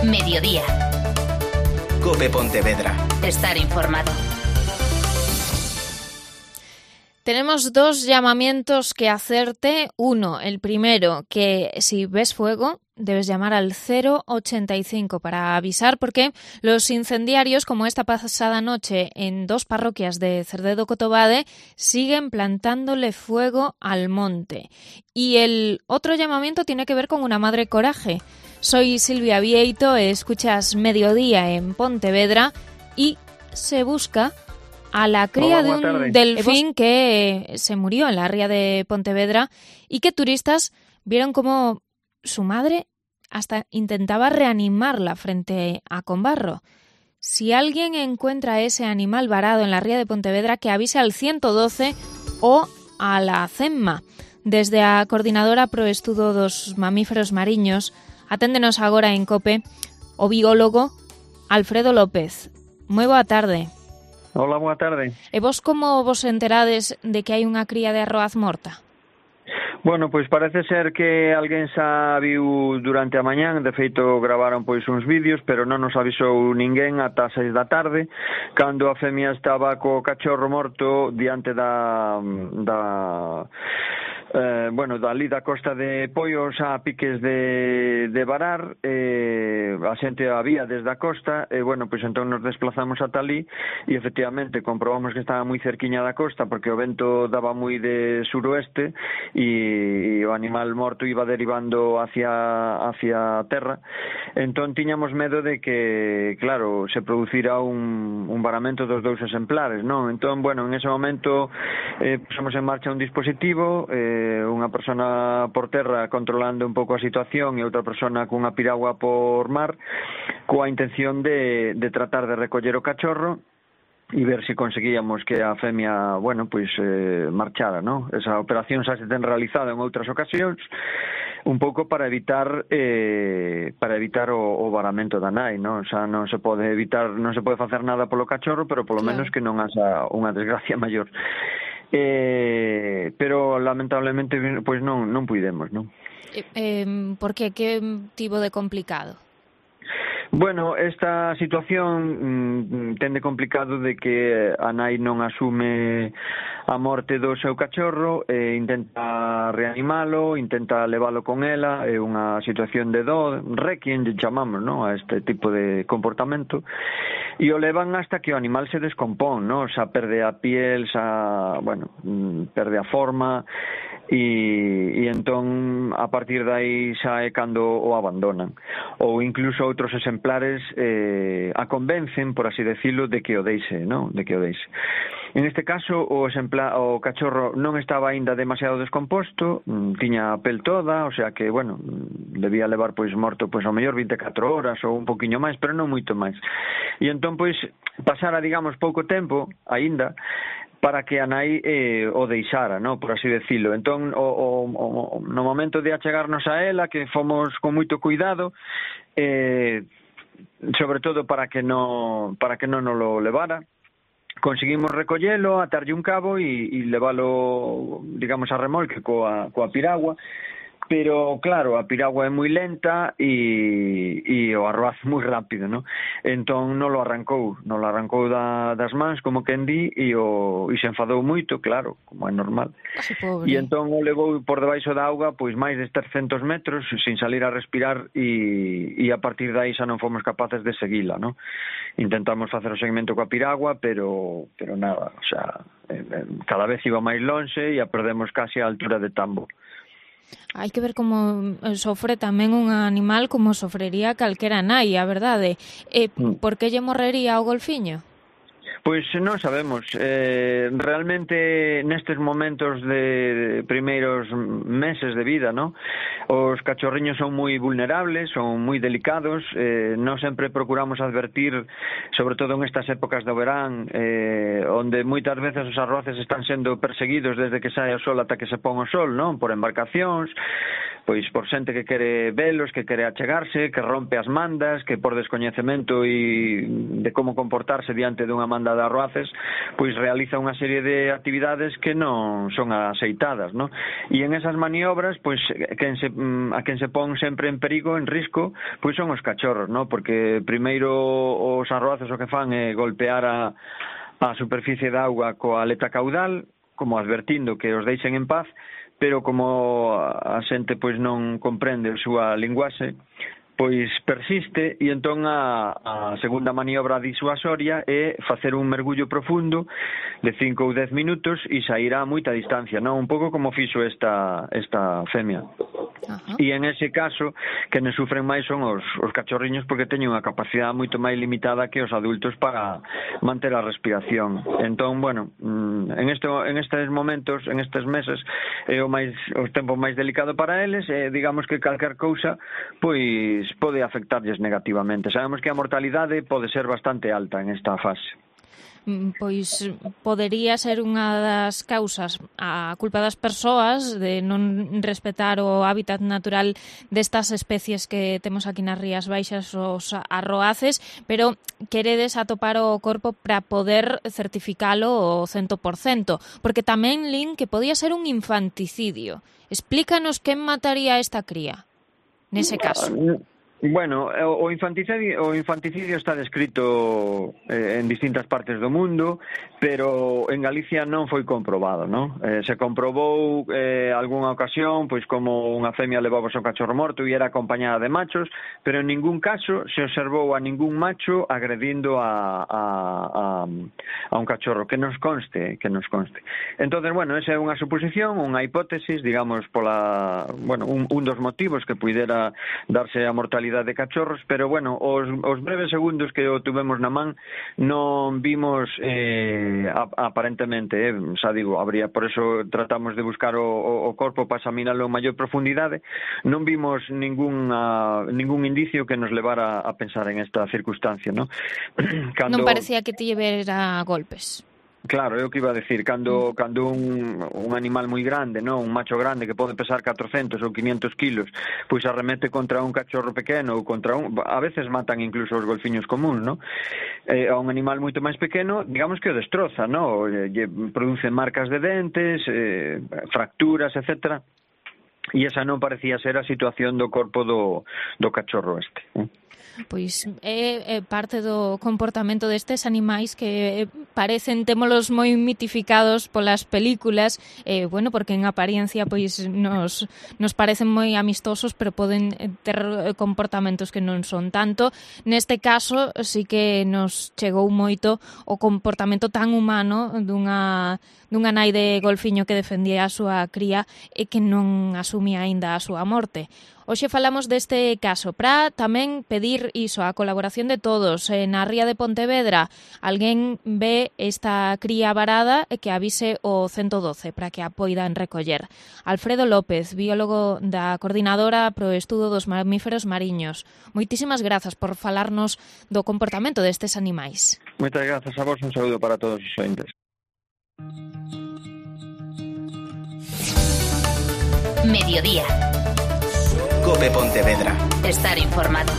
Mediodía. COPE Pontevedra. Estar informado. Tenemos dos llamamientos que hacerte. Uno, el primero, que si ves fuego debes llamar al 085 para avisar, porque los incendiarios, como esta pasada noche en dos parroquias de Cerdedo-Cotobade, siguen plantándole fuego al monte. Y el otro llamamiento tiene que ver con una madre coraje. Soy Silvia Vieito, escuchas Mediodía en Pontevedra y se busca a la cría de un delfín que se murió en la ría de Pontevedra y que turistas vieron como su madre hasta intentaba reanimarla frente a Combarro. Si alguien encuentra ese animal varado en la ría de Pontevedra, que avise al 112 o a la CEMMA. Desde a Coordinadora pro Estudo dos Mamíferos Mariños, aténdenos agora en COPE o biólogo Alfredo López. Moi boa tarde. Hola, boa tarde. E vos como vos enterades de que hai unha cría de arroaz morta? Bueno, pois parece ser que alguén xa viu durante a mañán, de feito gravaron pois uns vídeos, pero non nos avisou ninguén ata 6 da tarde, cando a femia estaba co cachorro morto diante da ali da costa de Poios a piques de varar, a xente había desde a costa, pois entón nos desplazamos ata ali e efectivamente comprobamos que estaba moi cerquiña da costa porque o vento daba moi de suroeste e o animal morto iba derivando hacia a terra. Entón tiñamos medo de que, claro, se producira un varamento dos dous exemplares, non? Entón, en ese momento pusemos en marcha un dispositivo, unha persona por terra controlando un pouco a situación e outra persona cunha piragua por mar, coa intención de tratar de recoller o cachorro e ver se conseguíamos que a femia, marchara, non? Esa operación xa se ten realizado en outras ocasións, un pouco para evitar o varamento da nai, non? Xa non se pode evitar, non se pode facer nada polo cachorro, pero polo menos que non haxa unha desgracia maior. Pero lamentablemente pois non puidemos, non? Por que? Que tivo de complicado? Bueno, esta situación ten de complicado de que a nai non asume a morte do seu cachorro, intenta reanimalo, intenta levalo con ela, é unha situación de dó, requiem, chamamos, non, a este tipo de comportamento, e o levan hasta que o animal se descompón, non, xa perde a piel, perde a forma, e entón a partir de aí xa é cando o abandonan, ou incluso outros exemplares a convencen, por así decirlo, de que o deixe, non? De que o deixe. En este caso o cachorro non estaba aínda demasiado descomposto, tiña a pel toda, o sea que, debía levar morto ao mellor 24 horas ou un poquinho máis, pero non moito máis. E entón pasara, digamos, pouco tempo aínda para que a nai o deixara, non, por así decirlo. Entón, no momento de achegarnos a ela, que fomos con moito cuidado, sobre todo para que non nos lo levara, conseguimos recollelo, atarlle un cabo e leválo, digamos, a remolque coa piragua. Pero, claro, a piragua é moi lenta e o arroaz moi rápido, non? Entón non lo arrancou das mans, como quen di, e se enfadou moito, claro, como é normal. E entón o levou por debaixo da auga pois máis de 300 metros sin salir a respirar e a partir de aí xa non fomos capaces de seguila, non? Intentamos facer o seguimento coa piragua, pero nada, o sea, cada vez iba máis lonxe e a perdemos casi a altura de Tambo. Hai que ver como sofre tamén un animal como sofrería calquera nai, a verdade. Por que lle morrería o golfiño? Pois non sabemos. Realmente nestes momentos de primeiros meses de vida, ¿no? Os cachorriños son moi vulnerables, son moi delicados, non sempre procuramos advertir, sobre todo en estas épocas do verán, onde moitas veces os arroaces están sendo perseguidos desde que sae o sol ata que se pon o sol, non? Por embarcacións, pois por xente que quere velos, que quere achegarse, que rompe as mandas, que por descoñecemento e de como comportarse diante dunha manda de arroaces, pois realiza unha serie de actividades que non son aceitadas, ¿no? E en esas maniobras, pois a quen se pon sempre en perigo, en risco, pois son os cachorros, ¿no? Porque primeiro os arroaces o que fan é golpear a superficie da auga coa aleta caudal, como advertindo que os deixen en paz, pero como a xente pois non comprende a súa linguaxe, pois persiste, e entón a segunda maniobra disuasoria é facer un mergullo profundo de 5 ou 10 minutos e sair a moita distancia, non? Un pouco como fixo esta femia. Ajá. E en ese caso, que non sufren máis son os cachorriños, porque teñen unha capacidade moito máis limitada que os adultos para manter a respiración. Entón, bueno, en estes momentos, en estes meses, é o tempo máis delicado para eles, digamos que calquer cousa, pois pode afectarlles negativamente. Sabemos que a mortalidade pode ser bastante alta en esta fase. Pois podería ser unha das causas a culpa das persoas de non respetar o hábitat natural destas especies que temos aquí nas Rías Baixas, os arroaces, pero queredes atopar o corpo para poder certificalo o 100%, porque tamén lin que podía ser un infanticidio. Explícanos quen mataría esta cría nese caso. Bueno, o infanticidio está descrito en distintas partes do mundo, pero en Galicia non foi comprobado, non? Se comprobou algunha ocasión, pois como unha femia levaba o seu cachorro morto e era acompañada de machos, pero en ningún caso se observou a ningún macho agredindo a un cachorro, que nos conste. Entonces, bueno, esa é unha suposición, unha hipótesis, digamos, un dos motivos que puidera darse a mortalidade de cachorros, pero bueno, os breves segundos que o tuvemos na man non vimos aparentemente, xa digo, habría, por eso tratamos de buscar o corpo para examinarlo en maior profundidade, non vimos ningún indicio que nos levara a pensar en esta circunstancia, ¿no? Non parecía que te llevera golpes. Claro, é o que iba a decir, cando un animal moi grande, non, un macho grande que pode pesar 400 ou 500 kilos, pois arremete contra un cachorro pequeno ou a veces matan incluso os golfiños comuns, non? A un animal moito máis pequeno, digamos que o destroza, non? Produce marcas de dentes, fracturas, etcétera. E esa non parecía ser a situación do corpo do cachorro este. Pois é parte do comportamento destes animais que parecen, témolos moi mitificados polas películas, bueno, porque en apariencia pois nos parecen moi amistosos, pero poden ter comportamentos que non son tanto. Neste caso, sí que nos chegou moito o comportamento tan humano dunha nai de golfiño que defendía a súa cría e que non asumía aínda a súa morte. Hoxe falamos deste caso para tamén pedir iso, a colaboración de todos. Na Ría de Pontevedra alguén ve esta cría varada e que avise o 112 para que a poidan recoller. Alfredo López, biólogo da Coordinadora pro Estudo dos Mamíferos Mariños. Moitísimas grazas por falarnos do comportamento destes animais. Moitas grazas a vos, un saúdo para todos os ointes. Mediodía. COPE Pontevedra. Estar informado.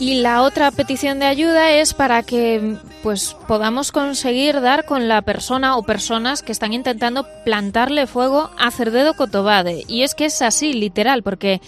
Y la otra petición de ayuda es para que pues podamos conseguir dar con la persona o personas que están intentando plantarle fuego a Cerdedo Cotobade. Y es que es así, literal, porque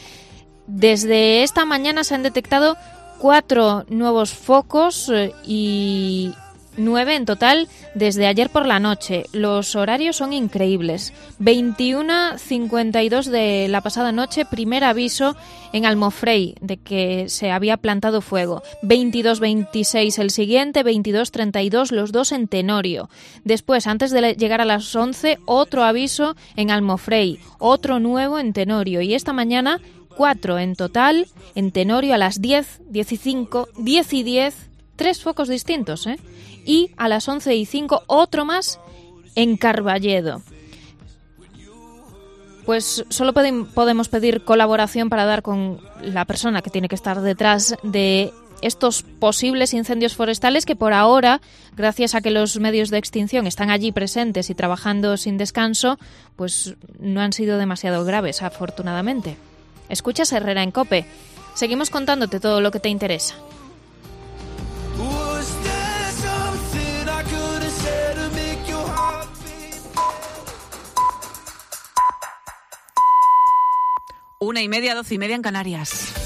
desde esta mañana se han detectado 4 nuevos focos y 9 en total desde ayer por la noche. Los horarios son increíbles. 21:52 de la pasada noche, primer aviso en Almofrei de que se había plantado fuego. 22:26 el siguiente, 22:32 los dos en Tenorio. Después, antes de llegar a las 11, otro aviso en Almofrei, otro nuevo en Tenorio. Y esta mañana, 4 en total en Tenorio a las 10, 15, 10 y 10, 3 focos distintos, ¿eh? Y a las 11:05 otro más en Carballedo. Pues solo podemos pedir colaboración para dar con la persona que tiene que estar detrás de estos posibles incendios forestales que por ahora, gracias a que los medios de extinción están allí presentes y trabajando sin descanso, pues no han sido demasiado graves, afortunadamente. Escuchas Herrera en COPE. Seguimos contándote todo lo que te interesa. Una y media, 12 y media en Canarias.